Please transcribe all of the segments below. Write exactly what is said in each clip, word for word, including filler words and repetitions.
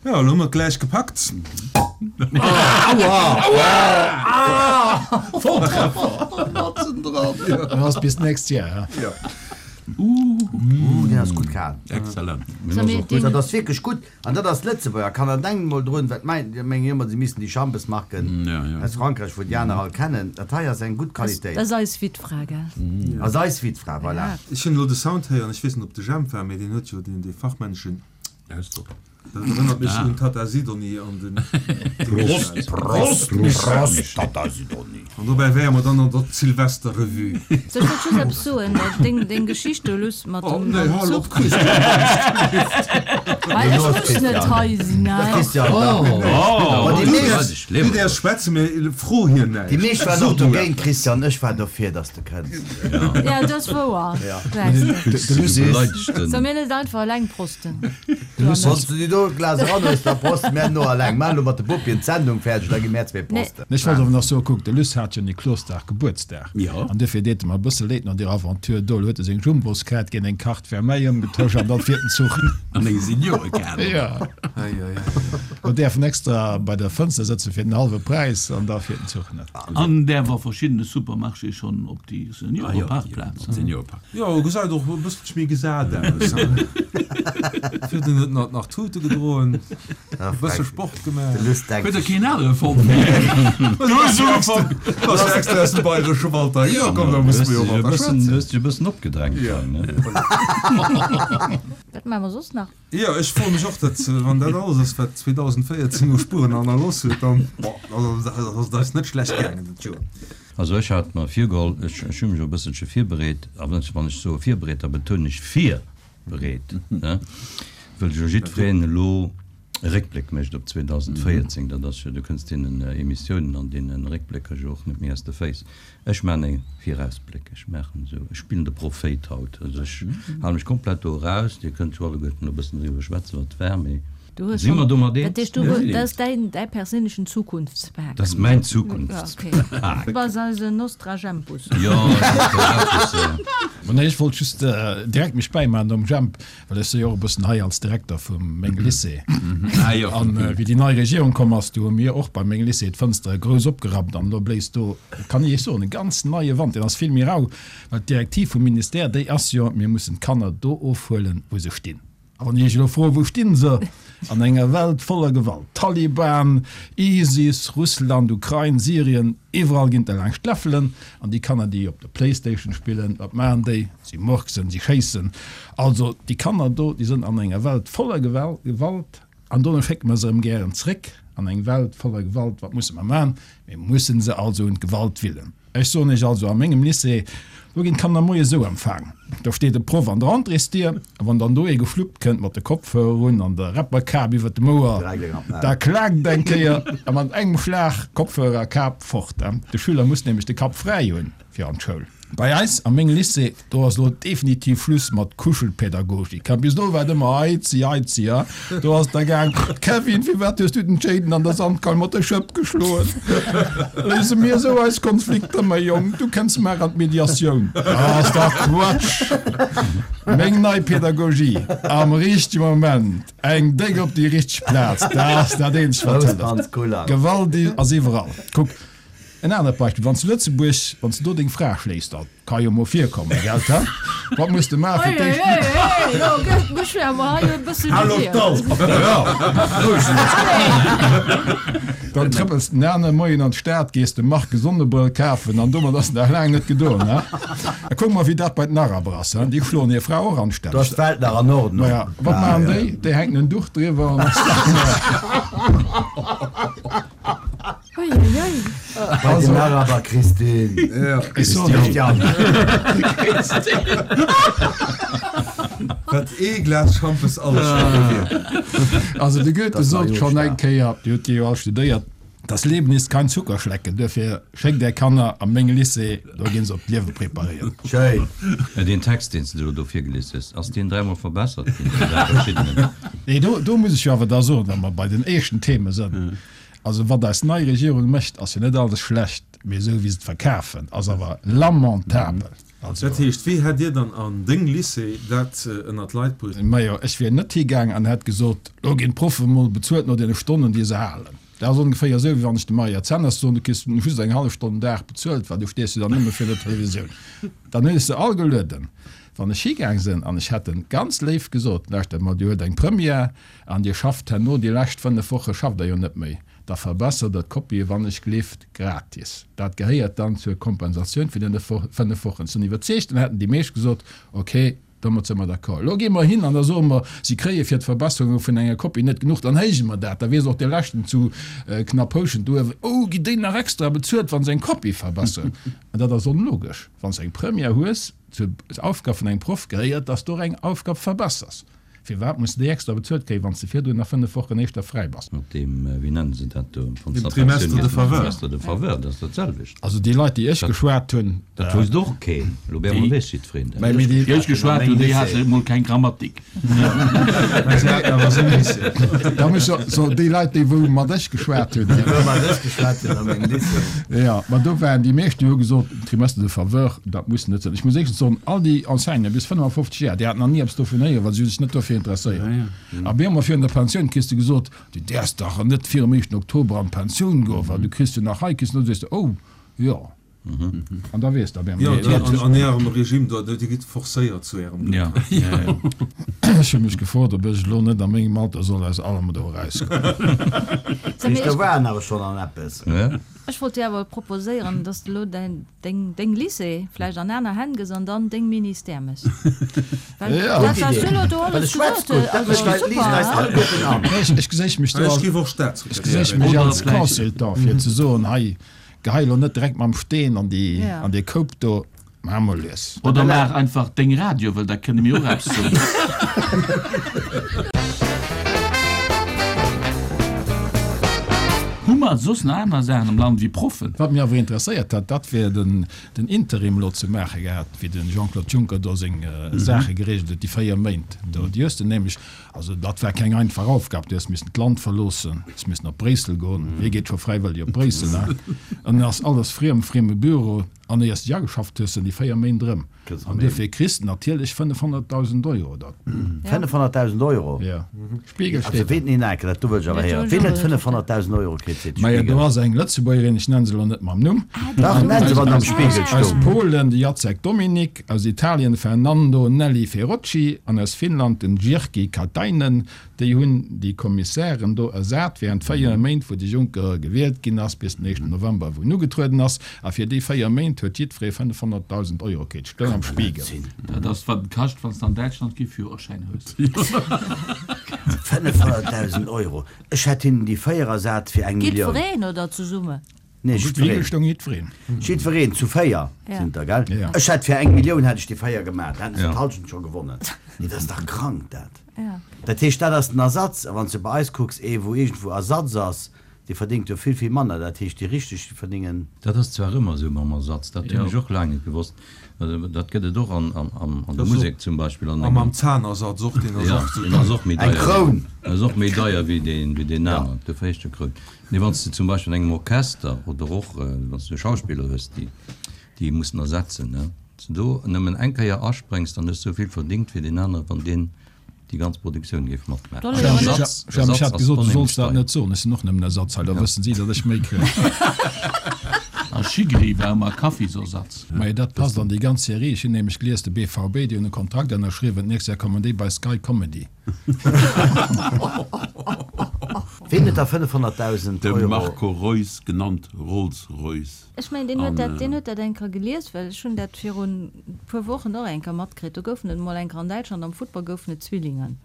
Jo, elo hu mer et gläich gepackt. Matzen dran. Dann ass bis d'nächst Jar, he? Jo. Ooh, deen ass gutt kal. Excellent. Dat ass wierklech gutt. An dat ass Lëtzebuerger. Kanner, denkt mol drun, wat mein, mengen ëmmer, se missten déi Schampesmarken aus Frankräich, wou déi aner all kennen. Dat hei ass eng gutt Qualitéit. Dat ass eis Wittfra, gell? Ass eis Wittfra, voilà. Ech hunn elo de Sound héieren, ech weess net, ob de Jemp war, mee deen huet jo deen, dee fachmänneschen Ausdrock. Dat erënnert mech un d'Tata Sidonie an den Prost, Prost, Prost, Tata Sidonie! An dobäi wäre mer dann an der Silvesterrevue. Sou, ech wollt just eppes soen, deng, deng Geschicht do, Luss, mat Oh, dem, nee, mam hal op, Zuch. Christian! Well ech muss net hei sinn, Da, hä? Christian, da. Oh, Ma déi Du meescht, däerfs, du däerfs schwätzen, mee fro hien déi näischt. meescht waren So och du dogéint, eppes. Christian. Ech war dofir, dass de kënns. Ja, dat ass wouer. Gesäis de. De Luss, Beleidigt Soll den. mir net einfach eleng prosten? de Luss Wann s du déi do e Glas eran hues, da proste mär no eleng. Maachen elo mat de Bopien d'Sendung fäerdeg, da gi mär zwee prosten. Ech wollt awer nach soen, kuck, de Luss hat jo Niklosdag Gebuertsdag. Jo. An duerfir deet e mer e bësse leed no deer Aventure do. Elo huet e seng Jumboskaart géint eng Carte Vermeille ëmgetosch an dann fiert den Zuch. An eng Seniorekaart. Jo. Ei, ei, ei. Lo däerf en extra bei der Fënster sëtzen fir den hallwe Präis an da fiert den Zuch net. An däerf a verschiddene Supermarchéë schonn op déi Ah jo, Senioreparkplaz. op d'Senioreparkplaz. Jo, gesäit och e bësselche méi gesat aus. Fir den huet nach nach Tute gedroen, e bësse Sport gemaach. De Luss denkt Huet der sech. keen anere fonnt? Du hues ugefaang, du ass extra aus dem Bayresche Wald heihinner komm, da musse mer jo Du mat der schwätzen. hues dech e bëssen opgedrängt Ja. hei, ne? Wat maache mer soss nach? Jo, ech froe mech och dat, wann dat alles ass, wat zweedausendvéierzéng u Spueren hannerlooss huet, dann, boah, dann ass et eis net schlecht gaangen dat Joer. Also ech hat mer virgeholl, ech hu mech och e bësselche virbereet, a wann ech soe virbereet, da betounen ech virbereet, ne, wëll jo jiddwereen elo e Réckbléck mécht op zweedausendvéierzéng. Dat ass jo, du kënns deenen Emissiounen an deene Réckblécker jo och net méi aus de Féiss. Ech maachen e Virausbléck, ech maachen esou, ech spillen de Prophéit haut. Also ech hale mech komplett do eraus. Dir kënnt jo alleguerten elo e bëssen driwwer schwätzen, wat war, mee Du hues si mer schonn, domat dat eens? heescht, du hues, dat ass däin, däi perséinlechen Zukunftspak. Dat ass mäin Ja, Zukunftspak. okay. Du bass eisen Nostrajempus. Jo, Nostrajempus. Ma nee, ech wollt just direkt mech bäimaachen nom Jemp, well ech si jo och e bëssen hei als Direkter vum mengem Lycée. Ah jo. An wéi déi nei Regierung komm ass, du hu mir och bei mengem Lycée d'Fënstere grouss opgerappt an elo bléist do, kann ech Iech soen, e ganz neie Wand. Deen ass vill méi rau, well d'Direktiv vum Ministère, déi ass jo, mir mussen d'Kanner do ofhuelen, wou se stinn. A wann ech Iech elo froen, wou stinn se an enger Welt voller Gewalt, Taliban, ISIS, Russland, Ukrain, Syrien, iwwerall ginn der laangscht d'Läffelen. An déi Kanner, déi op der Playstation spillen, wat maachen déi? Si murksen, si schéissen. Also déi Kanner do, déi sënn an enger Welt voller Gewalt. An dono schécke mer se erëm gären zréck an eng Welt voller Gewalt. Wat musse mer maachen? Mir mussen se also un d'Gewalt willen. Ech soen Iech also, a mengem Lycée, do ginn d'Kanner moies esou empfaang, do steet e Proff an der Entréesdier, a wann dann do ee gefluppt kënnt mat de Kopfhörer un an der Rapperkap iwwer dem Ouer, da klaakt et eng Kéier a mat engem Schlag Kopfhörer a Kap fort. De Schüler muss nämlech de Kapp fräi hunn fir an d'Schoul. Bei eis a mengem Lycée, do ass elo definitiv Schluss mat Kuschelpädagogik. Bis elo war et ëmmer Eizi, Eizi, a do ass et da gaang, Kevin, firwat hues du den Jaden an der Sandkaul mat der Schëpp geschloen? Léise mir esou eis Konflikter, mäi Jong, du kënns mar an d'Mediatioun. Dat ass dach Quatsch! Meng nei Pädagogie, am richtege Moment eng déck op déi richteg Plaz, dat ass dat eenzegt, wat hëlleft. Gewalt ass iwwerall. Kuck, En anert Beispill, Wann s du Lëtzebuerg, wann s du do deng Fra schléis, dat ka jo mol virkommen, gell, ha? Wat muss de maachen fir d'éischt? Dann trëppels de den anere Moien an d'Stad, gees dem Marc e Sonnebrëll kafen an domat ass et nach laang net gedoen, ha? A kuck mol, wéi dat bei den Araber ass, ha? Déi schloen hir Fra och Do anstänneg. ass d'Welt nach an Ordnung. Maja, wat maachen déi? Déi hänken en Duch driwwer an ass dat. Bei den Araber, Christine. Christian. Wat ee Glas Schampes alles scho bewierkt. Also de Goethe Das war sot jo schonn eng stark. Kéier, Dir hutt jo all studéiert, Das Leben ist kein Zuckerschlecken. Duerfir schéckt Är Kanner a meng Lycée, do ginn se op d'Liewe preparéiert. Schéin. Deen Text, deen s de elo do virgelies hues, ass deen dräimol verbessert ginn vun dräi verschiddenen? Nee, do, do muss ech jo awer da soen, wa mer bei den éischten Theme sënn, Also wat eis nei Regierung mécht, ass jo net alles schlecht, mee esou wéi se et verkafen, ass awer lamentabel. Also, Dat heescht, wéi hätt Dir dann an deng Lycée dat ënnert d'Leit bruecht? Majo, ech wier net higaang an hätt gesot, Lo ginn d'Proffe mol bezuelt no deene Stonnen, déi se halen. Dat ass ongeféier esou, wéi wann ech dem Maria Zenners soen, Du kriss just eng hallef Stonn den Dag bezuelt, well du stees jo dann nëmme fir der Televisioun. Dann hunn ech se all gelueden. Wann ech higaang sinn an ech hätt en ganz léif gesot, Lauschtert mol, Dir huet eng Première an Dir schafft herno déi lescht fënnef Woche schafft Der jo net méi, da verbessert Der d'Kopie wann ech gleeft gratis. Dat gehéiert dann zur Kompensatioun fir deene fënnef Wochen. Ech sinn iwwerzeegt, dann hätten déi meescht gesot, Okay, domat si mer d'accord. Elo gi mer hin an da soe mer, si kréie fir d'Verbesserunge vun enger Kopie net genuch, dann héije mer dat. Da weess och dee leschten zu Knapphouschent uewen, Oh, ginn déi nach extra bezuelt, wa se eng Kopie verbesseren? An dat ass onlogesch. Wann s de eng Première hues, zur Aufgab vun engem Proff gehéiert, dass du och eng Aufgab verbessers. Firwat muss de déi extra bezuelt kréien, wann s de virdrun nach fënnef Wochen éischter fräi bass? Mat deem, wéi nennen se dat do, wann s Dem de Trimestre de faveur. Trimestre de faveur, dat ass dat selwecht. Also déi Leit, déi ech geschwat hunn. Dat wousst och keen. Elo op eemol weess jiddwereen dat. Mä déi. Déi ech geschwat hunn, déi hate mol keng Grammatik. Mä se haten awer seng Lycée. Da muss ech soen, déi Leit, déi wou mat ech geschwat hunn. Déi wou mat ech geschwat hunn a mengem Lycée. Jo, ma do waren déi meescht, déi hu gesot, Trimestre de faveur, dat muss net sinn. Ech muss éischtens soen, all déi Enseignanten bis fënnefafofzeg Jar, déi haten nach ni eppes dovun héieren, well si hu sech net dofir interesséiert. A mir hu mer virun der Pensioun kriss de gesot, du däerfs dach net virum éischten Oktober an d'Pensioun goen, well du kriss jo nach hei, kriss no. Du sees de, oh jo. An da weess de op eemol. Jo, an an Ärem Regime do, Dir gitt forcéiert zu Ärem Gléck. Ech hu mech gefrot, ob ech elo net a mengem Alter soll aus allem do erausgoen. Do war en awer schonn an eppes. Ech wollt dir awer proposéieren, dass de elo däin, deng, deng Lycée vläicht an aner Hänn gëss an dann deng Ministère méchs. Well dat, wat s du elo do alles gesot hues, also super, hein? Ech geséich mech do Ech als, géif och ech Staatssekretär geséich ginn. mech als Consultant, fir ze soen, hei, gehei elo net direkt mam Steen an déi, an dee Koup do. Maach mol lues. Oder maach einfach deng Radio, well da kënne mir och eppes soen. Hu mer soss nach aner Saachen am Land wéi Proffen? Wat mech awer interesséiert hätt, dat wär den Interim elo ze maache gehat, wéi de Jean-Claude Juncker do seng Saache geregelt huet, déi véier Méint do. Déi hues de nämlech, also dat war keng einfach Aufgab, du hues missen d'Land verloossen, hues missen op Bréissel goen. Wie geet scho fräiwëlleg op Bréissel, hein? An dann ass alles friem, frieme Büro. An éiers de ageschafft hues, sinn déi véier Méint erëm. An duerfir kriss de natierlech fënnefhonnertdausend Euro. Dat. Fënnefhonnertdausend Euro? Jo. Spiegel Also steet ween, nee, dat do wëll ech awer héieren. Ween huet fënnefhonnertdausend Euro kritt, seet de Majo, do Spiegel. ass eng Lëtzebuergerin, ech nennen se elo net mam Numm. Dach, nenn se, wann am Spiegel Aus stoung. Polen de Jacek Dominik, aus Italien de Fernando Nelli Ferrocci an aus Finnland den Jyrki Katainen. Déi hunn déi Kommissären do ersat während véier Méint, wou de Juncker gewielt ginn ass, bis den éischten November, wou en ugetrueden ass. A fir déi véier Méint huet jiddweree fënnefhonnertdausend Euro kritt. Stoung am Spiegel. Dat ass wat et kascht, wann s de an Däitschland kee Führerschäin hues. Fënnefhonnertdausend Euro! Ech hätt hinnen déi véier ersat fir eng Millioun. Jiddwereen oder zesumme? Nee, Am Spiegel jiddwereen. stoung jiddwereen. Jiddwereen, zu véier Ja. sinn der, gell? Ja. Ech hätt fir eng Millioun hätt ech déi véier gemaach, da hätten se Ja. d'Halschent scho gewonnen. Nee, dat ass dach krank, dat. Ja. Dat heescht, dat ass den Ersatz. A wann s de bei eis kucks, ee wou iergendwou Ersatz ass, dee verdéngt jo vill, vill manner. Dat heescht, déi Richteg, déi verdéngen. Dat ass zwar ëmmer esou mam Ersatz, dat hunn Jo. ech och laang net gewosst. Also dat gëtt et och an, an, an der Dat ass och Musek zum Beispill. An A mam engem, Zahnersatz och, deen ass ja, och esou deen ass och méi Eng deier wéi, Kroun! ass och méi deier wéi deen, wéi deen Ja. aneren, dofir heescht e Kroun. Nee, wann s de zum Beispill an engem Orchester oder och wann s de Schauspiller hues, déi, déi mussen ersetzen, ne, wann s de do nëmmen eng Kéier aspréngs, dann hues de esou vill verdéngt wéi deen anere wann deen déi ganz Produktioun géif matmaachen. Soll ech Also Ersatz, Ech Ersatz hat ass gesot, du onheemlech solls dat deier. net soen, ech sinn och nëmmen Ersatz hei, da wëssen si, datt ech méi kréien. A Schigri war ëmmer Kaffisersatz. Majo, dat passt an déi ganz Serie. Ech hunn nämlech gelies, de B V B, déi hunn e Kontrakt ënnerschriwwen, d'nächst Jahr kommen déi bei Sky Comedy. Ween huet da fënnefhonnertdausend De Euro? Marco Reus, genannt Rolls Royce. Ech mengen, deen huet An, dat, deen huet dat eng Kéier gelies, well ech hunn dat virun e puer Wochen och eng Kéier matkritt. Do goufen et emol eng Kéier an Däitschland am Futtball goufen et Zwillingen.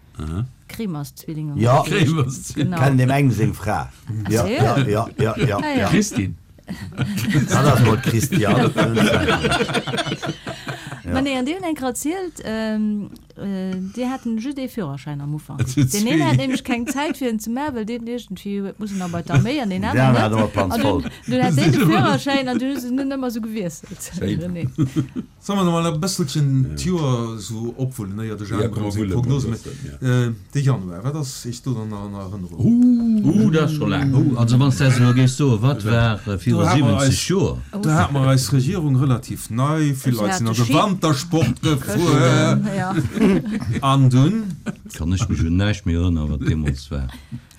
Kremers-Zwillinge. Ja. Kremers-Zwillinge. Genau. Kennen deem engem seng Fra. Ja, ja, ja, ja, ja, ja. Christine. Dat ass mol d'Christiane. Ma nee, an déi hunn eng Kéier erzielt, déi haten just ee Führerschäin am Ufank. Et sinn Deen een zwee. hat nämlech keng Zäit fir en ze maachen, well deen iergendwéi huet mussen nach bei d'Arméi an deen Deen aneren aneren hat net. ëmmer d'Panz An voll. dunn, dunn hat deen de Führerschäin an dunn hu se en ëmmer sou gewiesselt. Schéin. René. Solle mer nach mol e bësselchen d'Joer sou opwullen, éier de Ja, Jemp komm, erëm mer seng wullen mol e Prognose mécht? bëssen, ja. De Januar, wat ass Iech do dann nach an Erënnerung? Uh, dat ass scho laang. Oh, also wann s de elo géifs soen, wat war viru Do hat mer siwwenzeg eis, Joer? do hat mer eis Regierung relativ nei, vill Se Leit hat sinn de an de Schi Wantersport gefuer. Këschten, ja. An dunn? Kann ech mech un näischt méi erënneren, wat deemools war.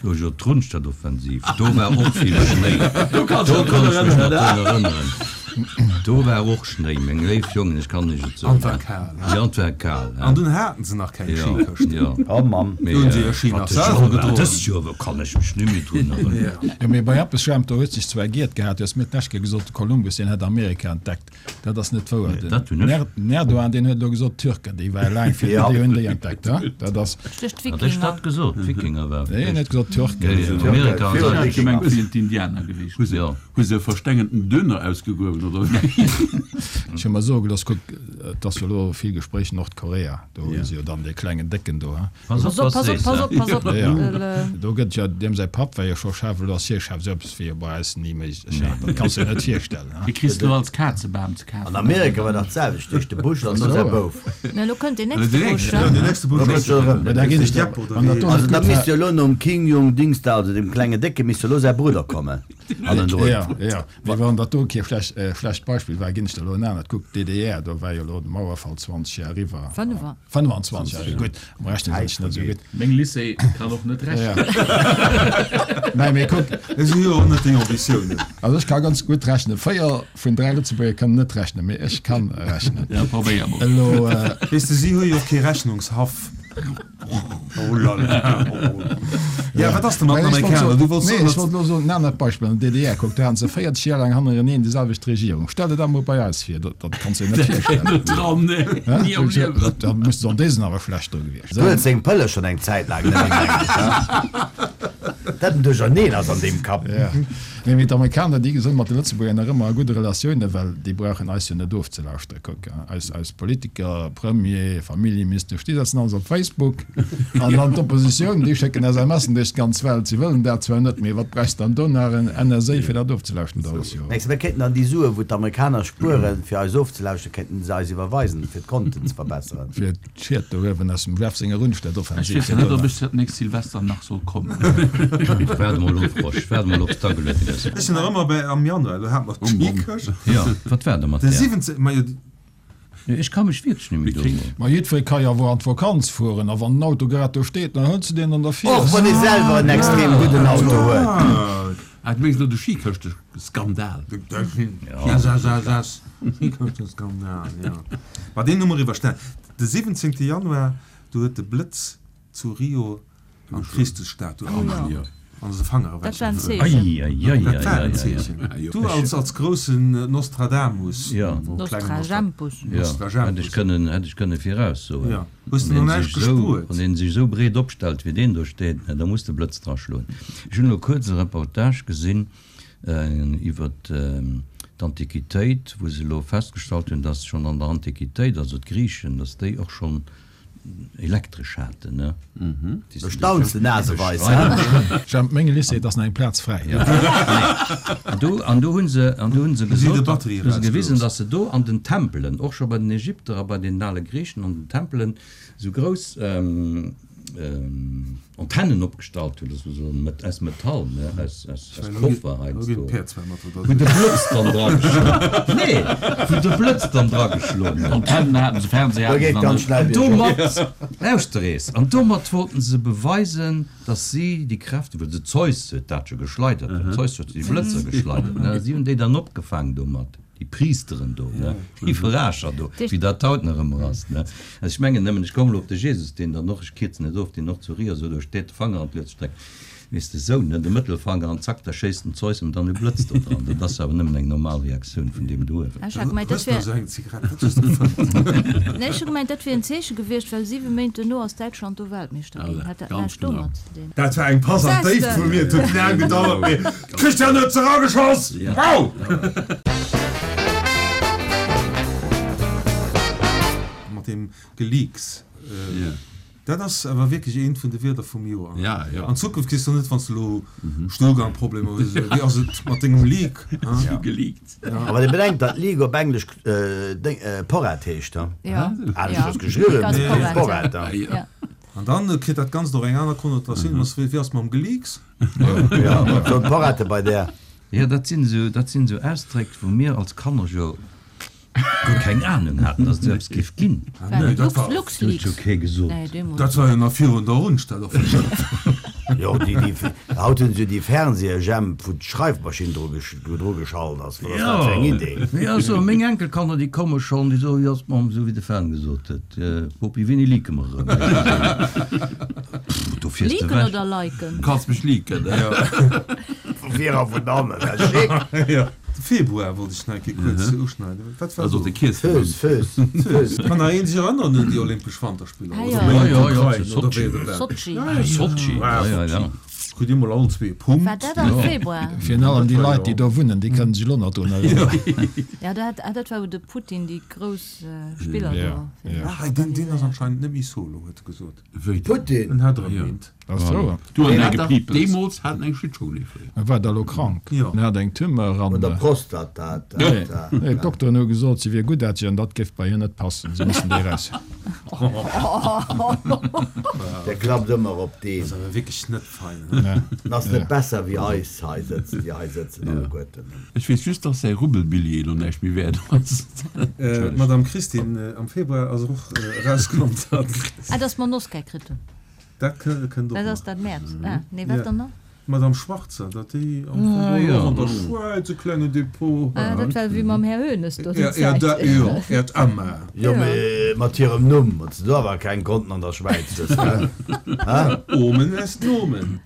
Do jo d'Rundstadtoffensiv, do war och vill Schnéi. Do kanns Do du dech kann drun ech mech nach erënneren. drun erënneren. Do war och Schnéi, meng léif Jongen, ech kann lech et An soen. et war kal, Ja, an et war kal, An dunn haten se nach keng ja, Skikëschten. ja. Oh Mamm. Mee, Do hunn se hir Ski wat nach dës selwer Joer war, gedroen. dës Joer war, kann ech mech net méi drun erënneren. Jo, mee bei eppes, Jemp, do huet sech zwar giert gehat, du hues mir d'lescht Kéier gesot, de Kolumbus, deen hätt Amerika entdeckt. Dat ass net wouer. Nee, dat hunn Den ech. Er den Erdogan, deen huet elo gesot, d'Türken, déi ware laang vir, Ja. déi hunn déi entdeckt, he? Dat ass. Duerch Hat ech d'Wikinger. dat gesot? D'Wikinger war Nee, net gesot Türken. Ja, ja, Amerika Virun an Ech hat gemengt, Wikinger. et sinn d'Indianer gewiescht. Hu se, Ja. hu se e verstengenten Döner ausgegruewen, oder wéi? Ech hu mer soe gelooss, kuck, et ass jo elo vill Gespréich Nordkorea, do hu se jo dann dee klengen Décken do, he? Pass op, Pass op, was pass op, sees, pass he? op, pass op. Ja, ja. Well, äh, Do gëtt jo, deem säi Papp war jo scho Chef, elo ass hie Chef, sou eppes wier jo bei eis ni méiglech, he? Dat kanns du dir net virstellen, he? Dee kriss du als Kazebam ze An kafen. Amerika war dat selwecht, duerch de Bush an no säi Bouf. Na, elo kënnt deen Den nächste Bush, nächsten, Ja, he? den nächste Bush Da ass kënnt jo erëm. Mä da ginn ech Jepp der, oder wann dat wéi? do Also net da gutt misst war. jo elo nom Kim Jong Dings da, also dem klenge Décke, misst jo elo säi Brudder kommen. Hannendrun. Ja, ja. Mee wann dat do kee schlecht, äh, schlecht Beispill war, ginn ech der elo en anert. Kuck, d'DDR, do war jo elo de Mauerfall zwanzeg Joer eriwwer. Fënnef. Fënnwanzwanzeg Joer, gutt, am Rechnen sinn ech net esou gutt. Meng Lycée kann och net Ja. rechnen. Nein, mee kuck. Ech hu jo och net déi Ambitiounen. Also ech ka ganz gutt rechnen. Véier vun dräi Lëtzebuerger kënnen net rechnen, mee ech kann rechnen. Ja, probéier mol. Elo, äh, Weess de, si hu jo och kee Rechnungshaff. Oh la la. Ja, wat ass denn mat den Mä ech wollt Amerikaner? soen, Du wollts nee, soen, ech datt. wollt elo soen, en anert Beispill, an der D D R, kuck, do haten se véierzeg Joer laang hannereneen déi selwecht Regierung. Stell der dat mol bei eis vir, dat, dat kanns du dir net virstellen. Net dran, nee. Hä? Ni am Liewen. Dat, da muss an desen awer schlecht dru gewiescht Du huet sinn. seng Pëlle schonn eng Zäit laang net méi, mengen ech, he? Dat en Duercherneen ass an deem Kapp. Ja. Nee, mee d'Amerikaner, déi sinn mat de Lëtzebuerger nach ëmmer a gudde Relatiounen, well déi brauchen eis jo net ofzelauschteren. Kuck, eis, eis Politiker, Premier, Familljeministesch, déi setzen alles op Facebook. An dann d'Oppositioun, déi schécken S M Sen duerch d'ganz Welt. Si wëllen dat zwar net, mee wat brauchst dann do nach en N S A, fir dat ofzelauschteren? Dat ass jo. Mengs du, mir kéinten dann déi Sue, wou d'Amerikaner spueren, fir eis ofzelauschteren, kéinten se eis iwwerweisen, fir d'Konten ze verbesseren? Fir d'Schied do uewen aus dem Jeff senger Ech Rundstedtoffensiv, weess fir net, do ob nach. ech dat nächst Silvester nach soll kommen. Waart mol of, Rosch, waart mol op, d'Ageluet gëss. Ech sinn nach ëmmer bei am Januar, do hat mer Oh Mann. d'Skikëscht. Ja, wat war da mat De där? siwwenzéng, ma jo, Nee, ech ka mech wierklech net méi Mir do. kriegen- Ma jiddweree ka jo awer an d'Vakanz fueren, a wann den Auto grad do steet, dann hëls du deen an der Och fiers. wann ee selwer en extrem gudden Auto huet. Ah, Ah, du mengs elo de Skikëschte-Skandal. S S S S. Skikëschte-Skandal, ja. Ma deen hu mer iwwerstan. De siwwenzéngte Januar, do huet de Blëtz zu Rio an d'Christusstatue Oh ja. Ja. an se Fanger Dat war en ewech. Zeechen. Ei, ei, ei, Dat ei, war ei, en ei, Zeechen. ei. Du als, als groussen Nostradamus. Ja. Oh, kleinen Nostradamus. Ja, Nostradamus. hätt ech kënnen, hätt ech kënne viraussoen. Ja. Hues du Wann noch een näischt sech sou, gespuert? wann een sech sou breet opstellt, wéi deen do steet, na, da muss de Blëtz dra schloen. Ech hunn elo kuerz e Reportage gesinn, äh, iwwer ähm, d'Antiquitéit, wou se elo festgestallt hunn, dass schonn an der Antiquitéit, also d'Griechen, dass déi och schonn elektresch haten, ne? Mhm. Da staunst de naseweis, hä? Jemp, menge Lycée, et ass nach eng Plaz fräi. Ja. An do, an do hunn se, an do hunn se Hu si de gesot, Batterie hu se gewisen, erausgelooss. dass se do an den Tempelen, och scho bei den Ägypter a bei den ale Griechen an den Tempelen, sou grouss, ähm, ähm, Antennen opgestallt hunn, das war so met-, aus Metall, ne, aus, aus, aus Koffer heiansdo. Wou de Blëtz dann dra geschloen. Nee, wou de Blëtz dann dra geschloen huet. Antennen haten se, Fernseher Da haten geet se dann ganz net. schnell An bergop. domat, lauschter eens, an domat wollten se beweisen, dass si déi Kräfte, well de Zeus huet dat jo geschleidert, den Zeus huet déi Blëtzer geschleidert, ne, si hunn déi dann opgefaangen domat. Déi Priesteren do, ne, déi Verarcher do, wéi dat haut nach ëmmer ass, ne. Also ech mengen nëmmen, ech komme lo op de Jesus, deen dann och, ech kierzen et of, deen och zu Rio so do steet, de Fanger an d'Luet streckt. Weess de, sou, ne, de Mëttelfanger an zack, da schéisst den Zeus em dann e Blëtz do dran. Dat ass awer nëmmen eng normal Reaktioun vun deem do uewen. Ech hat gemeint, dat Hues du wär esou eng Zigarett? Wat hues du gefunden? Nee, ech hu gemeint, dat wär en Zeeche gewiescht, well siwe Méint duerno ass Däitschland do Weltmeeschter ginn. Voilà, Hat dat ganz näischt genau. domat ze dinn? Dat war eng Pass an Sechste. d'Déift vun mir. Et huet laang gedauert, mee Christian huet se erageschoss! Ja. Wow! Mat dem Geleaks. Dat ass awer wierklech eent vun de Wierder vum Joer. Ja, ja. An Zukunft kriss du net, wann s du elo Stuhlgangproblemer hues, esou, wéi ass et mat dengem Leak? Ja. Geleakt. Awer dir bedenkt, datt Leak op Englesch Déng, Porrett heescht, he? Ja. Aneschters geschriwwen, Leak ass mee Porrett, Porrett, ja. he? Ja. An dann kritt dat Ganzt och eng aner Konnotatioun, ass wéi, wéi ass mam Geleaks? Ja, wat soll d'Porrette bei där? Ja, dat sinn esou, dat sinn esou Ausdréck, wou mir als Kanner jo guer keng Ahnung haten, dass et esou eppes géif ginn. Nee, dat war, Dat huet jo kee gesot. dat war jo nach virun der Rundstelloffensiv. Jo, déi, déi, haut hunn se jo déi Fernseher-Jemp, wou d'Schreifmaschinn dru dru geschalt ass. Wat ass dat fir eng Idee? Jo, also meng Enkelkanner, déi komme schonn, déi soen, jo, Mamm, esou wéi de Fern gesot huet, Bopi, wéini leake mer erëm? Pff, do fiers de Leaken ewech. oder liken? Kanns mech leaken. Vu vir a vun hannen, dat ass schick. De Februar wollt ech nach eng Kéier kuerz uschneiden. Wat war Also do? de Kiesselmann. Fööss, Fööss, Fööss. Kann nach een sech erënneren un déi Olympesch Wanterspiller? Ah, Oder ja. méi Ja, ja, ja, d'Ukrain, zu oder Sotschi. wéi et war? Sotschi. Sotschi, ja, ja, ja. Kritt Dir mol allen zwee e Punkt. War dat am Februar? Virun allem déi Leit, déi do wunnen, déi kënnen sech elo nach drun erënneren. Ja, dat, ah, dat war wou de Putin déi grouss Spiller Ja, do ja. Ah, deen, deen ass anscheinend net méi solo, huet e gesot. Wéi denn? Putin! En hat erëm eent. Ass wouer. Du an Deen däi hat dach Gepiepels. Deemools hat en eng Schlittschong, dee Fréier. E war da lo krank. Jo. En hat eng Tumeur an. Un der Prostat, dat, dat, Nee, dat. nee, d'Dokteren hu gesot, si wier guttaarteg an dat géif bei hir net passen. Se missten déi eraus. Der klappt ëmmer op deen. Dat ass awer wierklech net fein. He? Nee. En ass net besser wéi eis hei sëtzen, déi hei sëtzen alleguerten. Ech weess just, dass säi Rubbelbilljee elo näischt méi wäert ass. Madame Christine, am Februar ass och erauskomm, datt. Ah, dass mer en Oscar kritt hunn. Dat kënnt och Dat nach. ass dat Mäerz. Ah, nee, wat Ja. dann nach? D'Madame Schwarzer, datt déi am Fong Ah, och ja. an der Schwäiz e klengen Depot Ah, dat war wéi mam Här Hoeneß do déi Ja, ja, Zäit. da, jo, Äert Emma. Jo, Ja. mee mat hirem Numm huet se do awer keng Konten an der Schwäiz, wësst de. Ha? Omen est Nomen.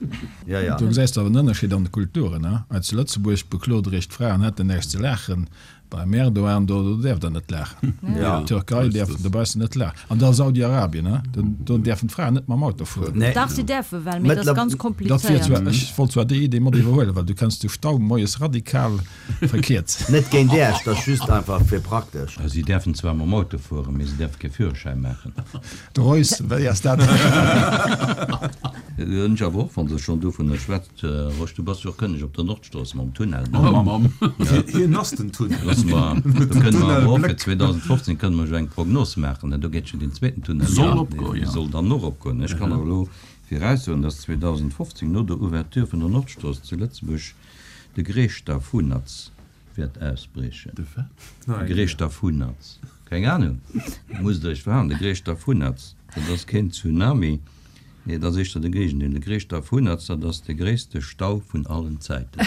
Ja, ja. Do gesäis de awer en Ënnerscheed an de Kulturen, he? Hei zu Lëtzebuerg beklot Der Iech, d'Fraen hätten näischt ze laachen. Beim Erdogan do, do däerf der net laachen. Ja. Türkei däerfen dobaussen net laachen. An da Saudi-Arabien, he? Do, do däerfen d'Fraen net mam Auto fueren. Nee. Dach, si däerfe well, mee dat ass ganz Dat wier komplizéiert. zwar, ech wollt zwar déi Idee mat iwwerhuelen, well du kënns de Stau moies radikal verkierzen. Net géint Iech, dat ass just einfach fir praktesch. Si däerfen zwar mam Auto fueren, mee si däerfe kee Führerschäin maachen. De Reus, wéi ass dat? Ech awer och, wann se schonn dovunner schwätzt, Rosch, du bass jo och kënneg op der Nordstrooss mam Tunnel, ne? Oh, Mamm. Hien ass den Tunnel. Loosse mer, do kënne mer awer och fir zweedausendfofzéng kënne mer jo eng Prognos maachen, ne? Do geet jo deen zweeten Tunnel, Soll ja, opgoen, dee ja. soll dann och opgoen. Ech kann awer elo viraussoen, dass zweedausendfofzéng no der Ouverture vun der Nordstrooss zu Lëtzebuerg de Greeschtafunatz wäert ausbriechen. De wat? De Greeschtafunatz. Keng Ahnung, musst Der Iech verhalen. De Greeschtafunatz, dat ass keen Tsunami, nee, dat ass éischter de Géigendeel. De Greeschtafunatz, dat ass de gréisste Stau vun allen Zäiten.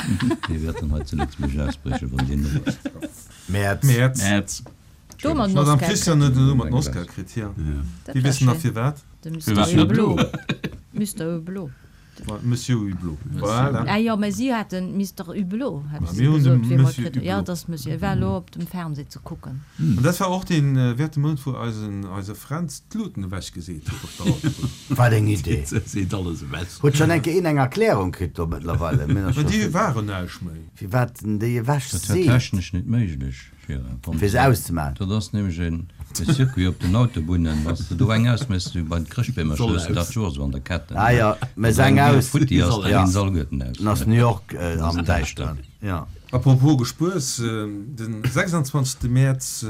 Dee wäert dann hei zu Lëtzebuerg ausbriechen, wann deen op ass. Mäerz. Mäerz. Mäerz. Do mat den D'Madame Oscar Christian kritt. huet elo mat den Oscar kritt, jo. Ja. Dat Déi war wëssen nach schéin. firwat. De Mister Firwat net Hublot. elo? Mister Hublot. Monsieur Hublot. Voilà. Ah jo, mä si haten Mister Hublot, hat Ma si mir hunn de gesot, wéi mer Monsieur kritt hunn. Ja, Hublot. dat ass Monsieur. E war elo op dem Fernseh ze kucken. An dat war och dee wäerte Mount, wou eisen, eise Fränz d'Luuten ewechgeseet huet op der Autobunn. Wat eng Idee! Seet alles ewech. Huet schonn eng Kéier een eng Erklärung kritt do mëttlerweile? Mir ass Mä scho déi waren näischt méi. Firwat en déi ewech Dat war seet? technesch net méiglech. Fir se auszemaachen. Dat ass nämlech en Circuit op den Autobunnen, wann s de do eng ausméchs, wéi bei den Chrëschtbeemercher, hues de dat Joer esou an der Ketten. Ah jo, méchs eng aus, Futti ass, da ja. ginn se alleguerten aus. Dann ass New York am Däischteren. Ja. Apropos Gespuers, den sechsundzwanzegste Mäerz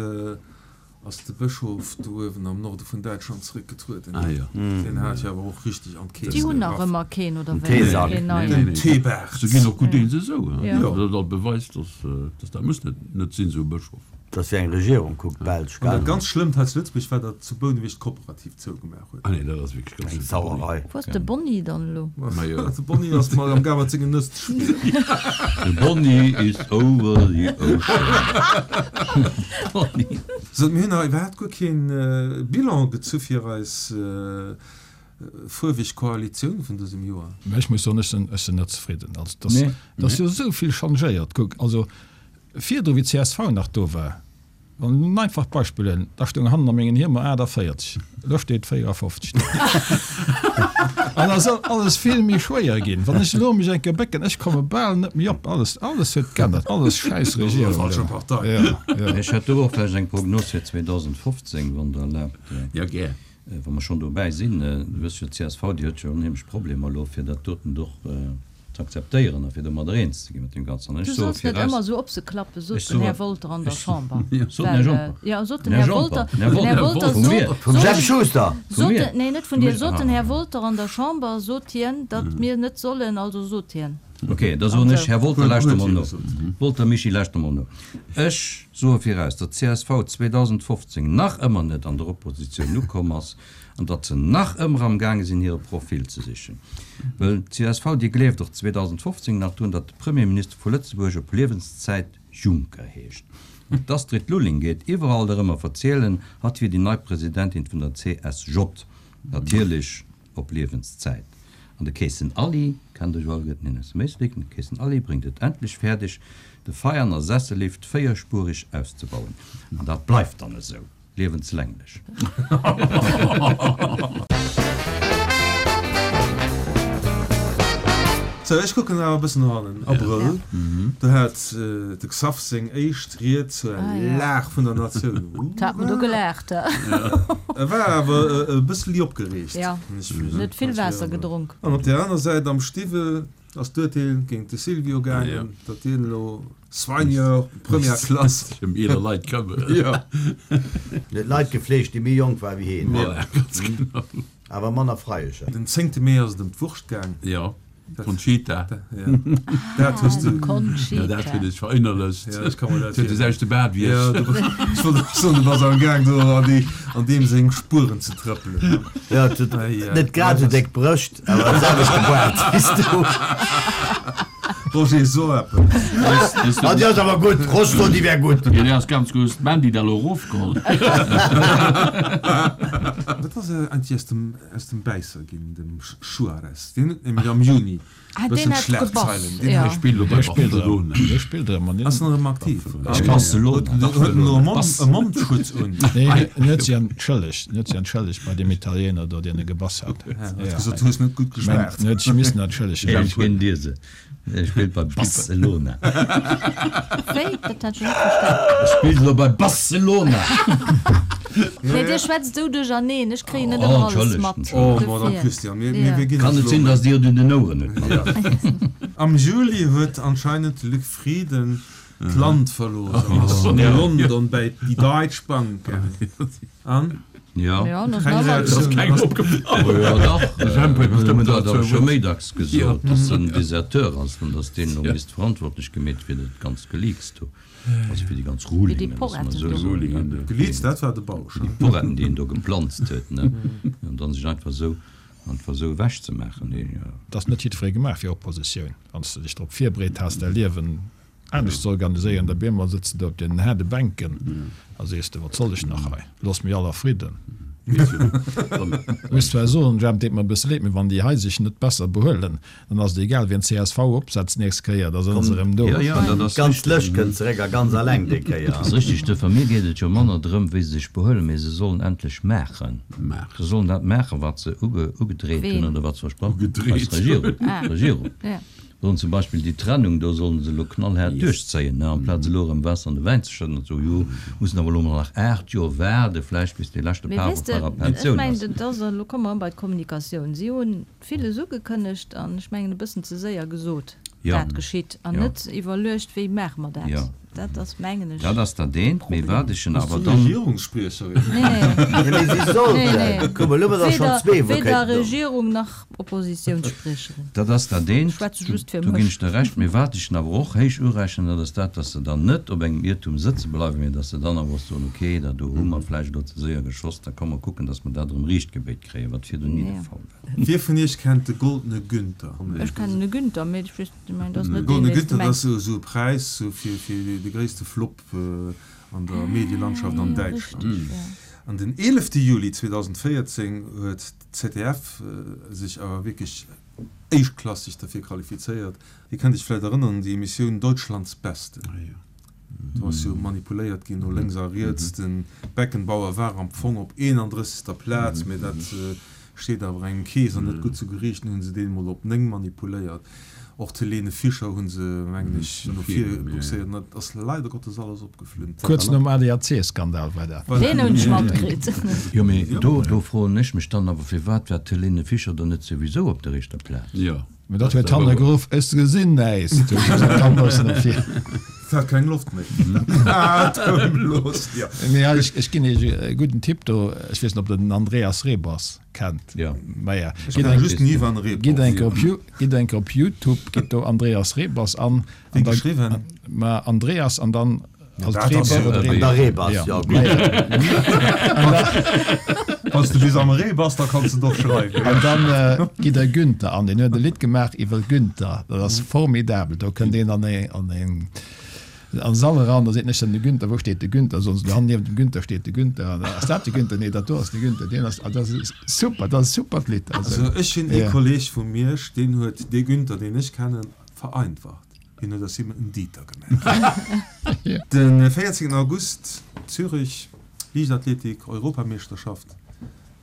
ass de Bëschof do uewen am Norde vun Däitschland zeréckgetrueden. Ah jo. Deen hat jo awer och richteg an d'Keess Déi hunn nach gegraff. ëmmer keen, oder Den wéi? Teesak. Keen neien. Den Teebaart. Se ginn och gutt eens esou. Ja. Dat dat beweist, dass dass dat muss net net sinn, esou e Bëschof. Dass wéi eng Regierung kuckt, d'Belsch, An dat gell? ganz Schlëmmt hei zu Lëtzebuerg war, datt zu Bouneweg d'Kooperativ zougemaach huet. Ah nee, dat ass wierklech ganz Eng schlëmm. Sauerei. Wou ass de Bonny dann elo? Ma jo. De Bonny ass mol am gaang mat sengen Nëss ze spillen. The Bonny is over the ocean. Bonny. So, mir hunn nach iwwerhaapt guer keen Bilan gezu fir eis fuerweg Koalitioun vun dësem Joer. Mä ech muss soen, ech sinn, ech sinn net zefridden. Also, dass, Nee. dass jo esou vill changéiert. Kuck, also virdru wéi d'C S V nach do war, wann en einfacht Beispill huelen, da stoung hannen a mengen Hiemer aachtavéierzeg, elo steet véierafofzeg do. An da soll alles vill méi schwéier ginn. Wann ech elo mech eng Kéier bécken, ech komme bal net méi op. Alles, alles huet geännert, alles schäiss Regierung Falsche do. Partei. Ja, ja. Ech hätt do och vläicht eng Prognos fir zweedausendfofzéng, wann Der erlaabt. Ja, gär. Wa mer schonn dobäi sinn, du wëss jo, d'CSV, déi huet jo onheemlech Problemer elo, fir dat doten och ze akzeptéieren a fir domadder eens ze ginn mat deem Ganzen. An Du ech soe solls net viraus, ëmmer esou op se klappen, sot ech den soe, Här Wolter an der ech, Chamber. sot den Här Well, Jomper? jo, sot den Den Här Här Wolter, Jomper, den Här den Här Wolter, Wolter vu sot, mir? Vum sot Jemp den, Schuster! Vu sot mir? den, nee, net vun Vu dir, mir? sot den Aha. Här Wolter an der Chamber, sot hien, datt mir net sollen, also sot hien. Ok, da soen ech, Also. Här Wolter, Huet, lauschter huet mol hie no. gesot. Wolter Michi, lauschter mol no. Ech soe viraus, datt d'CSV zweedausendfofzéng nach ëmmer net an der Oppositioun ukomm ass an datt se nach ëmmer am gaange sinn, hire Profil ze sichen. Well d'CSV, déi gleeft och zweedausendfofzéng nach drun, datt de Premierminister vu Lëtzebuerg op Liewenszäit Juncker heescht. An d'Astrid Lulling geet iwwerall erëm a verzielen, hatt wier déi nei Presidentin vun der C S J. Natierlech op Liewenszäit. An de Keesen Aly, kennt der jo alleguerten hien aus dem Éislek, den Keesen Aly bréngt et endlech fäerdeg, de Veianer Sessellift véierspuerig auszebauen. An dat bleift dann esou, liewenslänglech. Sou, ech kucken awer e bëssen no hannen. Abrëll, do hat de Xaph seng éischt Ried zur Lag vun der Natioun. Hat mer do gelaacht, he? E war awer e bësseli opgereegt. Jo, en huet vill Waasser gedronk. An op där aner Säit, am Stiwwel ass d'Urteel géint de Silvio gaangen, datt deen elo Soigneur première classe. Sech ëm eeler Leit këmmert. Jo. En huet Leit gefleegt, déi méi jonk waren wéi hien. Voilà, ganz genau. Awer manner Freiecher. Den zéngte Mee ass et ëm d'Wurscht gaang. Jo. Conchita. Dat hues du. Conchita. Ja, dat hunn ech verinnerlecht. Ja, ech ka mer dat Huet de selwechte Baart wéi ech. Ja, du bass, ech wollt och soen, du bass am Gaang do an déi, an deem seng Spueren ze trëppelen. Ja, et huet net grad esou déck Brëscht, awer de selwechte Baart wéi s du. Roger, so eppes. Ah, déi ass awer gutt. Rosto, déi wär gutt. Jo, déi ass ganz gutt. Hues d'Mandy da lo erofgeholl? Wat ass eigentlech aus dem, aus dem Bäisser ginn, dem Suarez? Deen huet nämlech am Juni Ah, e deen bëssen hat Schlagzeilen. gebass, Deen ja. Dee spillt elo bei Dee spillt erëm. Barcelona. Dee spillt erëm an Ass en erëm aktiv? Barcelona. Huet huet en elo e Mond, e Mondschutz un? Nee, en huet sech entschëllegt. En huet sech entschëllegt bei deem Italiener do, deen e gebass hat. Ja, huet gesot, du hues net gutt Mä geschmaacht. en huet sech missen entschëllegen. Ech ginn dir se. E spillt bei Barcelona. Wéi? Dat hat ech net verstan. E spillt elo bei Barcelona. Nee, dir schwätzt esou duercherneen, ech kréien net Oh, ëmmer alles entschëllegt, mat. Oh, entschëllegt. Madame Dofir. Christian, mir, Ja. mir, mir ginn Kann eis et elo sinn, méi. dass Dir et un den Oueren hutt, Madame? Am Juli huet anscheinend de Luc Frieden d'Land verlooss an ass no London bäi déi Deutsche Bank gaangen. An? Ja. Ja, das Keng war Reaktioun. Keng opgefall. Oh jo, dach. Jemp huet Ech hunn bestëmmt dat awer dozou scho wuert. méi dacks gesot, dass en Deserteur ass an dass deen elo misst verantwortlech gemeet fir dat ganzt Geleaks do. Also fir déi ganz Fir déi Rulingen, dass mer Porretten esou do. soen, Rulingen, ne? jo. Geleaks, dat war de Bausch. Déi Porretten, déi en do geplanzt huet, ne? An dann sech einfach esou, einfach esou ewechzemaachen, nee, jo. Et ass net jiddweree gemaach fir Oppositioun. Wann s de dech drop virbereet has, däi Liewen anescht ze organiséieren, da op eemol sëtz de do op deenen haarde Bänken a sees de, Wat soll ech nach hei? Loosst mech all a Fridden. Ech muss zwar soen, Jemp, deet mer e bësse leed, mee wann déi hei sech net besser behuelen, dann ass et egal, wien csv opsetzt d'nächst Kéier, da sënn se erëm do. Jo, jo, dat ass D'ganz richteg. Lëscht kënnt zeréck a ganz alleng déi Kéier. Dat ass richteg. Duerfir, mir geet et jo manner drëm, wéi se sech behuelen, mee se sollen endlech maachen. Maachen. Se sollen dat maachen, wat se uge, ugedreet hunn Ween? oder wat se versprach hunn. Ugedreet Eis Regierung. Ah. D'Regierung. Ja. Sollen zum Beispill déi Trennung do sollen se elo knallhaart duerchzéien, ne, amplaz elo erëm Waasser an de Wäin ze schëdden an ze soen, jo, mussen awer elo mol nach aacht Joer waarde vläicht bis dee leschte Mee Paff weess op de, der ech Pensioun mengen, ass. dat ass, elo komme mer erëm bei d'Kommunikatioun. Si hunn villes ugekënnegt an ech mengen e bëssen ze séier gesot, Ja. dat geschitt, an Ja. net iwwerluecht, wéi maache mer dat. Ja. Dat ass, mengen ech, Dat ass dat eent, mee Problem. wat ech en Ass awer du dann. Regierungsspriecherin? Nee, nee. Ja, mee si sollten. Nee, nee. Kuck mol, elo huet der schonn Weder, zwee, wou weder kéinten do. Regierung nach Oppositiounsspriecherin. Dat ass dat eent, Ech schwätze just fir do ginn mech. ech der Recht. Mee wat ech en awer och héich urechnen, dat ass dat, dass se dann net op engem Iertum sëtze bleiwen, mee dass se dann awer och soen, okay, dat do hu mer vläicht elo ze séier geschoss, da komm mer kucken, dass mer dat erëm riichtgebéit kréien, wat virdrun ni de Ja. Fall war. Wie vun iech kennt de Goldene Günther? Ech kennen de Günther, mee ech weess, ech mengen, dat ass De net deen, Goldene deen s de Günther, dat mengs. ass esou e Präis sou fir, fir de gréisste Flop an der Medielandschaft an Ah, jo, Däitschland. richtig, ja. An den eelefte Juli zweedausendvéierzéng huet d'ZDF sech awer wierklech éischtklasseg derfir qualifizéiert. Dir kënnt iech vläicht erënneren un déi Emissioun Deutschlands Beste. Do ass jo manipuléiert ginn no lénks a riets. De Beckenbauer war am Fong op eenandrëssegster Plaz, mee dat Steet awer engem Kees an net gutt zu Geriicht, hunn se deen emol op néng manipuléiert. Och d'Helene Fischer hu se, mengen ech, no vir buxéiert. An dat ass leider Gottes alles opgeflunn. Kuerz nom A D A C-Skandal war dat. Deen hunn ech matkritt. Jo, mee do, do froen ech mech dann awer, firwat war d'Helene Fischer dann net souwisou op der éischter Plaz? Jo. Mee dat huet hanne geruff, Ech gesinn näischt! Huet gesot, da muss no vir. Et hat keng Loft méi. Atemlos, jo. Mee ech, ech ginn Iech e gudden Tipp do, ech weess net, ob Der den Andreas Rebers kennt. Jo. Maja, Ech gitt kenne eng, just den Ivan Rebrov. gitt eng Kéier op You, gitt eng Kéier op Youtube, gitt do Andreas Rebers an, Wéi an da, geschriwwen? ma Andreas an dann Ja, als dat ass Reber jo oder An Reber. der Rebers, Ja. jo, gutt. Wann s du bis am Ree bass, da kanns de et och schreiwen. An dann gitt der Günther an, deen huet e Lidd gemaach iwwer Günther, dat ass formidabel. Do kënnt een an e, an een, an Sall eran, da seet en, ech sinn de Günther, wou steet de Günther? Soen se, do hannen niewent dem Günther steet de Günther. An da, ass dat de Günther? Nee, dat do ass de Günther. Deen ass, dat ass super, dat ass e supert Lidd. Also Also, ech hunn ee ja. Kolleg vu Miersch, deen huet dee Günther, deen ech kennen, vereinfacht. Hien huet aus him en Dieter gemaach. De véierzéngten August, Zürich, Liichtathletik, Europameeschterschaft.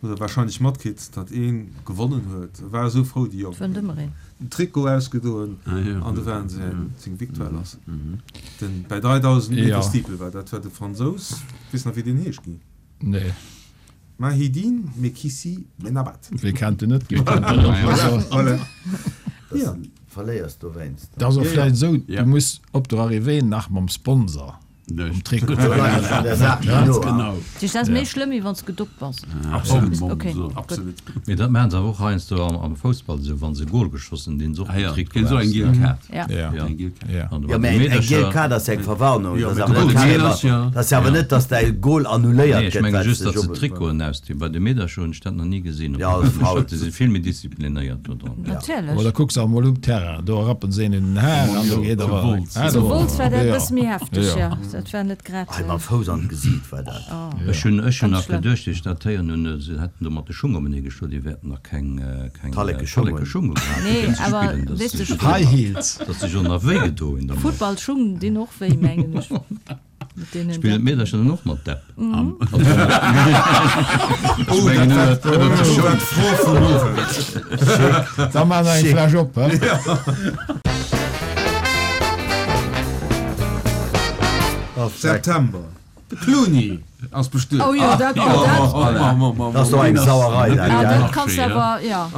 Hutt der wahrscheinlech matkritt, datt ee gewonnen huet. E war esou frou, déi Jong. Wënnt ëmmer een. Den Trikot ausgedoen an do waren seng Victoire lass. Den bei dräidausend Meter Steeple war dat war de Fransous. Weess nach wéi deen heescht, Guy? Nee. Mahidine Mekhissi Benabbad. Wie kennt en net? Wie kennt en net? Voilà. Dass de verléiers dowéinst. Dat ass och vläicht esou, Ja. du muss op der Arrivée nach mam Sponsor um Trikot. Ganz genau. Dat ass méi schlëmm, wéi wann s gedopt bass. Absolut. Okay. Absolut. Mee dat maachen se awer och heiansdo am, am Foussball esou, wa se e Gol geschoss hunn, dinn se och Ah den ja, Trikot kritt se och eng aus, giel ne? Kaart. Ja. Ja. Ja. Eng giel Kaart. Ja. An Jo, bei mä de eng giel Meedercher, Kaart ass ja eng Verwarnung. Jo, Dat mä ass awer de net Goal carrément, ass ja. dat ass ja awer net, dass däi Goal annuléiert nee, ech gëtt, menge well s just, de datt dech se op. d'Trikoten ausdinn. Bei de Meedercher hunn ech dat nach ni gesinn. Op Ja, de dat ass faul. Meedercher, déi si vill méi disziplinéiert do dran. Natierlech. Oder kucks awer mol um Terrain, do rappen se een un den Haar an do geet Zu awer. Wolz. Ah, Zu do. Wolz war dat e Ja. bësse méi hefteg, Ja. jo. Dat war net grad. Hei mam Fouss an d'Gesiit war dat. Ech hunn ech hunn Ganz nach schlëmm. geduecht, wéi ech dat héieren hunn, se hätten do mat de Schung openee geschloen, déi wäerten nach keng keng Talleke Schung Talleke hunn. Schung gehat, Nee, fir ze awer spillen, dass weess de, sech High Heels. dass sech och nach wéi gedo hunn dermat. Futtballschung dinn och wéi, mengen ech. Mat deenen Spillen Deppen. d'Meedercher dann och mat Depp? Mhm. Oh, dat war dat war d'Fro vum Owend. Da maache mer eng Schick. Fläsch op, hä? September. De Clooney ass bestuet. Oh jo, dat, oh, dat, Dat ass doch eng Sauerei, dat, ah, gell? dat kanns du awer, ja.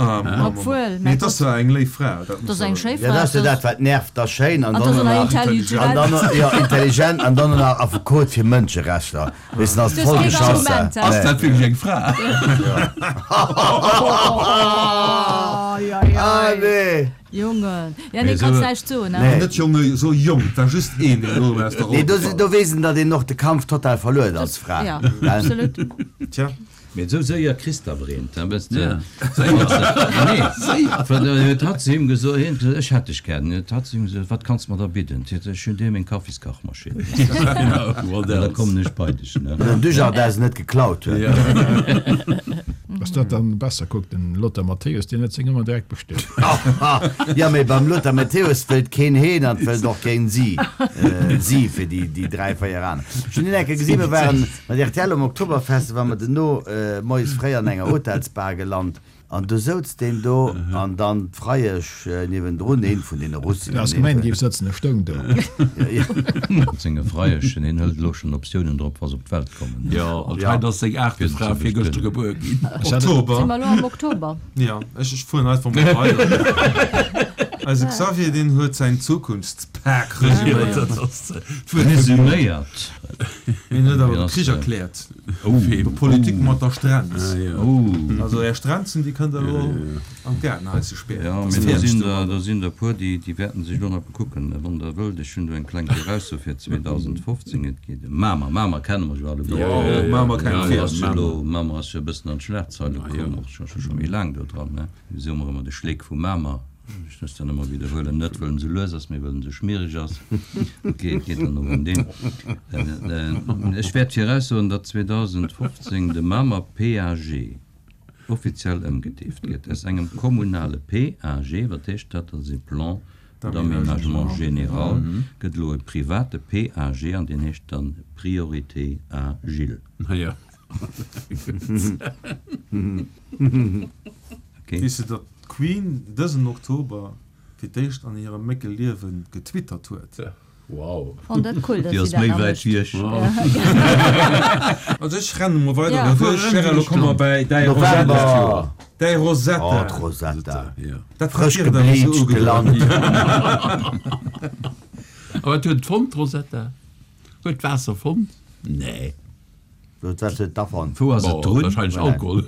Obwuel, Mee mäi et ass Gott, zwar eng léif Fra, dat dat muss ass eng soen. schéi Ja, Fra. dat ass jo Dat dat, wat nervt, dat ass schéin an an dann dat ass och nach nach, intelligent. an dann och, ja, intelligent an dann och nach Affekot fir Mënscherechter. Weess de, ass Du hues voll keen geschoss. Argument, hä? Ass dat wierklech eng Fra? Oh, ja, ja. Ah, nee. Jongen. Ja, nee, Mee kanns esou- näischt soen, Nee. ne? Net Jonge, so jong, et war just een, deen elo aus der Nee, Roll do, gefall do weess en, datt een och de Kampf total verluer als Fra. Ja, Gell? absolut. Tja. Mee esou séier kriss de awer eent, hè, wësst de. Ja. Nee, well äh, huet hatt zu him gesot, hien huet gesot, ech hätt dech gär. Huet hatt zu him gesot, wat kanns de mer da bidden? Huet ech hunn dir meng Kaffiskachmaschinn. What Da else? kommen ech bei dech, ne? Den Dujardin se net geklaut huet. Ja. Ass dat dann besser? Kuck, den Lothar Matthäus, deen huet seng ëmmer direkt bestuet. Ja, mee beim Lothar Matthäus wëllt keen heen an wëllt och keen si. Äh, si fir déi, déi dräi, véier aner. Ech hunn hien eng Kéier gesinn, mir waren mat R T L um Oktoberfest, war mer duerno äh, moies fréi an enger Hotelsbar gelant. An do souz deen do an dann d'Freiesch äh, niewendrun, een vun deene Russen. Du has gemeint, géif sëtzen, e stoung do. Ja, ja. Mat senge Freieschen, hien hëlt elo schonn Optiounen drop, wa se op d'Welt kommen. Ja, an Ja. hei ass seng aachte Fir Fra ze virgëschter bestëmmen. gebuer ginn. Ech hat- Oktober. Si mer elo am Oktober? Ja, ech, ech fueren einfach mol weider. Eise Xavier, deen huet säin Zukunftspak Ja, resüméiert. dat ass d'Wuert vum Resüméiert. Hien huet awer Wien de ass Krich de? erkläert. Oh. Politik mat der Strenz. Ah, ja. Oh. Also är Strenzen, déi kënnt der elo an d'Gaardenhaus ze spären. Ja, Dat ass mee do fäerdeg sinn domadder. der, do sinn der puer, déi, déi wäerten sech elo nach bekucken. Wann der wëllt, ech hunn do eng kleng Virausso fir zweedausendfofzéng. Et geet ëm Mamer. Mamer kenne mer jo alleguer. Ja, ja, ja. Mamer kennt Mamer vill. ass jo elo, Mamer ass jo e bëssen an d'Schlagzeile Ah, ja. komm, och scho, scho, scho méi laang do dran, ne? Mir soe mer ëmmer de Schleek vu Mamer. Ech muss dann ëmmer widderhuelen, net wëll en sou lues ass, mee wëll en sou schmiereg ass. Okay, et geet dann och ëm deen. Ech wäert viraussoen, datt zweedausendfofzéng de Mamer P A G offiziell ëmgedeeft gëtt. Aus engem kommunale P A G, wat heescht dat? Dat ass e Plan d'aménagement général, gëtt elo e private P A G an deen heescht dann Priorité Agile. Ah, ja. Okay. Weess de, datt d'Queen dësen Oktober fir d'éischt an hirem mécke Liewen getwittert huet? Wow. Fand dat cool, dass Déi si ass dat méi nach wäit mécht. wéi ech. Also ech renne mol weider Ja. duerch. Gérard, elo komme mer bäi däi Rosetta. November! Däi Oh, Rosetta. d'Rosetta. Ja. Dat Frësch hat dir dann esou gebleached ugedoen. gelant. A wat huet et fonnt, d'Rosetta? Huet d'Waasser fonnt? Nee. Wat huet et da fonnt? Wou ass et Bon, drun? Wahrscheinlech Alkohol.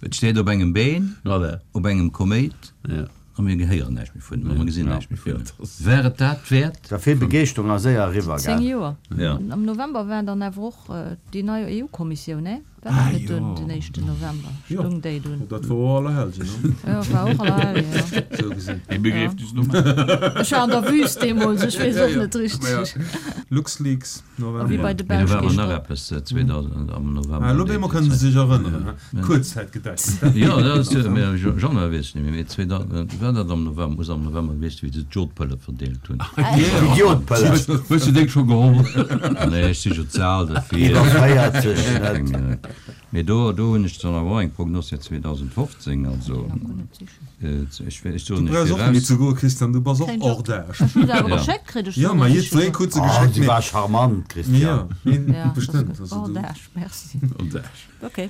Et steet op engem Been, Voilà. op engem Koméit. Ja. A mir gehéieren näischt méi vun him, a mir gesinn näischt méi vun Ja, him. dat ass- Wär et dat wäert? Da vill Begeeschterung a séier eriwwer, Zéng gell? Joer. Ja. Am November war dann awer och déi nei E U-Kommissioun, ne? War Ah, dat net jo. dunn den éischten November? Jo. Stung déi dunn? Dat war och Allerhellgen, ne? Jo, war och Allerhellgen, jo. Sou gesinn. Dee Begriffnisnummer. Ech war an der Wüst deemools, ech weess Ja, och ja. net richteg. LuxLeaks, A wéi November. bei de Mee do Belsch war awer nach geescht. eppes zweedausend am November. Ah, elo op eemol kënnen se sech erënneren, he? Kuerzzäitgedächtnis, dat Jo, dat ass jo, mee Januar weess ech net méi, mee zweedausend, war dat am November, muss am November gewiescht, wéi se d'Jodpëlle verdeelt hunn. Déi Jodpëlle. Hues du deng scho geholl? Nee, ech si jo ze al derfir. Iwwer véierzeg net. Keng, Mee do, do hunn ech dann awer och eng Prognos fir zweedausendfofzéng, also, ech, ech Du soen ech brauchs och net méi viraus. ze goen, Christian, du bass och Keng hors Jod. d'âge. Ech hunn se awer Ja. geschéckt kritt, ech Jo, soen ma ech jiddweree jo. krut se Oh, geschéckt, si mee war charmant, Christian. Ja, mee Ja, bestëmmt, das also hors du. d'âge, merci. Hors d'âge. Okay.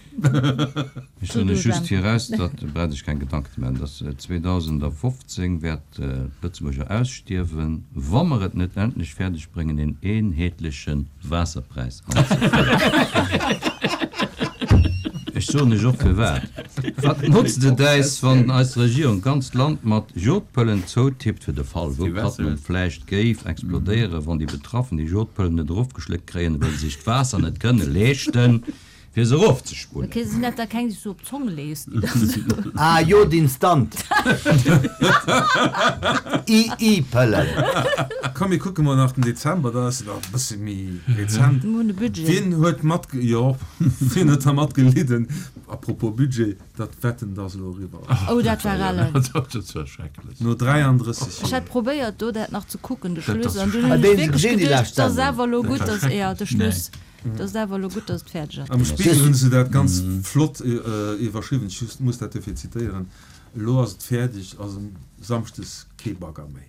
Ech soen ech just viraus, datt, brauch ech keng Gedanken ze maachen, datt zweedausendfofzéng wäert d'Lëtzebuerger ausstierwen, wa mer et net endlech fäerdeg bréngen, een eenheetleche Waasserpräis anzeféieren. Ech soen lech och firwat. Wat notzt et äis, wann eis Regierung d'ganzt Land mat Jodpëllen zoutippt, fir de Fall, wou d'Plattmann vläicht géif explodéieren, wann déi Betraffen déi Jodpëllen net erofgeschléckt kréien, well se sech d'Waasser net kënne leeschten, fir se erofzespullen? Ok, sinn dat da keng, déi s du op d'Zong lees, déi da sou. Ah, Jod instant. I I-Pëllen. Komm, mir kucke mol nach den Dezember, da ass et nach e bësse méi rezent. Mir hunn e Budget. Wien huet mat, jo, wien huet da matgelidden? Apropos Budget, dat Wetten, dass elo eriwwer ass. Oh, dat war ellen. Dat war schrecklech. No dräiandrësseg Ech Joer. hat probéiert, do dat nach ze kucken, de Dat Schluss, ass an dunn Ah, hunn ech deen wierklech gesinn, déi geduecht, lescht et ass Sendung. awer elo gutt, Dat war dass, ja, de schrecklech. Schluss. Dat ass awer elo gutt, dass et fäerdeg ass. Am Spiegel hunn se dat ganz flott iwwerschriwwen, ech just muss dat dofir zitéieren, Elo ass et fäerdeg, ass um Samschdes kee Bagger méi.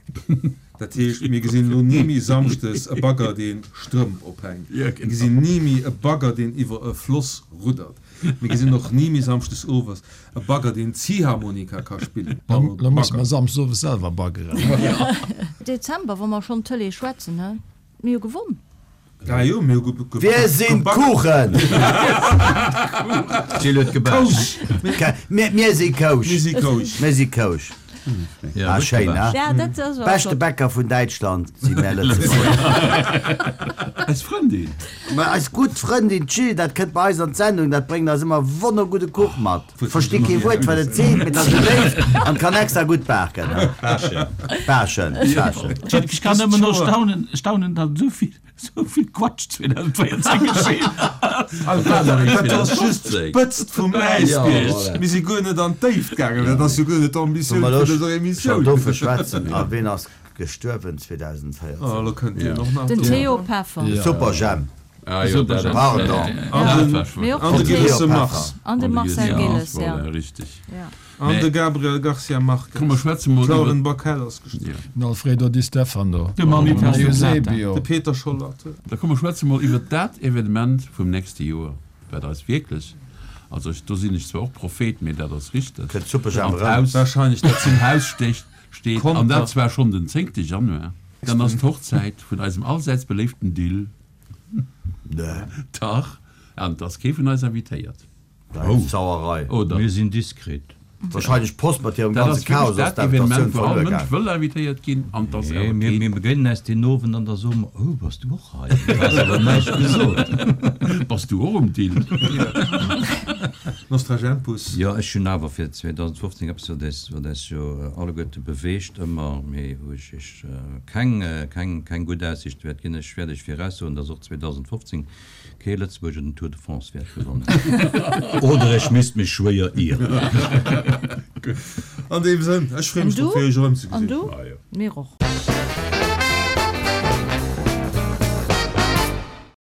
Dat heescht, mir gesinn elo ni méi samschdes e Bagger, dee Strëmp ophänkt. Mir gesinn ni méi e Bagger, deen iwwer e Floss ruddert. Mir gesinn och ni méi samschdes owes e Bagger, deen Ziehharmonika ka spillen. Lo musse mer samschdes owes selwer baggeren. Dezember, wa mer schonn Tëlee schwätzen, he? Mir hu gewonn. Ah jo, mir hu ge Wir sinn gebaggert. Kuchen! D'Jill huet gebaasch. Mir, mir si Kousch. Mir si Kousch. Mir si Kousch. Ja, Ah, gutt schéin, gebaasch. ne? Ja, dat ass awer Beschte flott. Bäcker vun Däitschland si mär Lëtzebuerger. Eis Frëndin. Ma eis gutt Frëndin d'Jill, dat kënnt bei eis an d'Sendung, dat bréngt eis ëmmer wonnergudde Kuch mat. Versti kee Wuert, wat et seet, mee et ass esou léif an kann extra gutt baken. Baaschen. Baaschen, baaschen. Ech kann nëmmen no staunen, staunen, datt esou vill, esou vill Quatsch zweedausendvéierzéng geschéien ass. Dat ass just d'Spëtzt vum Äisbierg. Mir si guer net an d'Déift gaangen. Dat ass jo guer net d'Ambitioun vun dëser Schon Emissioun. dofir schwätzen. A ween ass gestuerwen zweedausendvéierzéng? Oh, elo kënnt Dir och nach Den do. Theo Peffer. Ja. Super Jhemp. Ah, jo, dat ass- Pardon. An den, Mee och an de den Theo. Gilles Mars. An de Marcel Gilles, ja. Voilà, richtig. Ja. An de Gabriel Garcia Marquez. Komm, mer schwätze mol iwwer. D'Lauren Backel ass gestuerwen. Ja. Den Alfredo Di Stefano. De Manny Den Plata. Eusebio. De Peter Schollaert. Da komm mer schwätze mol iwwer dat Evenement vum nächste Joer, wat eis wierklech, also ech, do sinn ech zwar och Prophet, mee dat ass richteg, Kënnt Super Jhemp an erëm. d'Haus, Wahrscheinlech dat zum Haus stecht, steet, Konter. an dat zwar schonn den zéngte Januar, dann ass d'Hochzäit vun eisem allsäits beléiften Dill. Nee. Dach, an et ass kee vun eis invitéiert. Dat ass Sauerei. Oder? Mir sinn diskret. Wahrscheinlech d'Post mat hirem Dat ganze ass wierklech Chaos ass dat Evenement, d'Invitatioun wou all verluer Mënsch gaangen. wëll invitéiert ginn, an et ass Nee, awer mir, keen. mir begéinen eis deen Owend an da soe mer, Oh, bass du och hei? Du has awer näischt gesot. Bass du och um Dill? Nostragempus. Jo, ech hunn awer fir zweedausendfofzéng eppes, wat eis, wat eis jo alleguerte beweegt ëmmer, mee wou ech iech keng, keng, keng gutt Aussicht wäert ginn. Ech wäert iech viraussoen, dass och zweedausendfofzéng kee Lëtzebuerger den Tour de France wäert gewannen. Oder ech misst mech schwéier ieren. An deem Sënn, ech freeë An mech du? drop, fir iech erëmzegesinn. An du? Ah, jo. Mir och.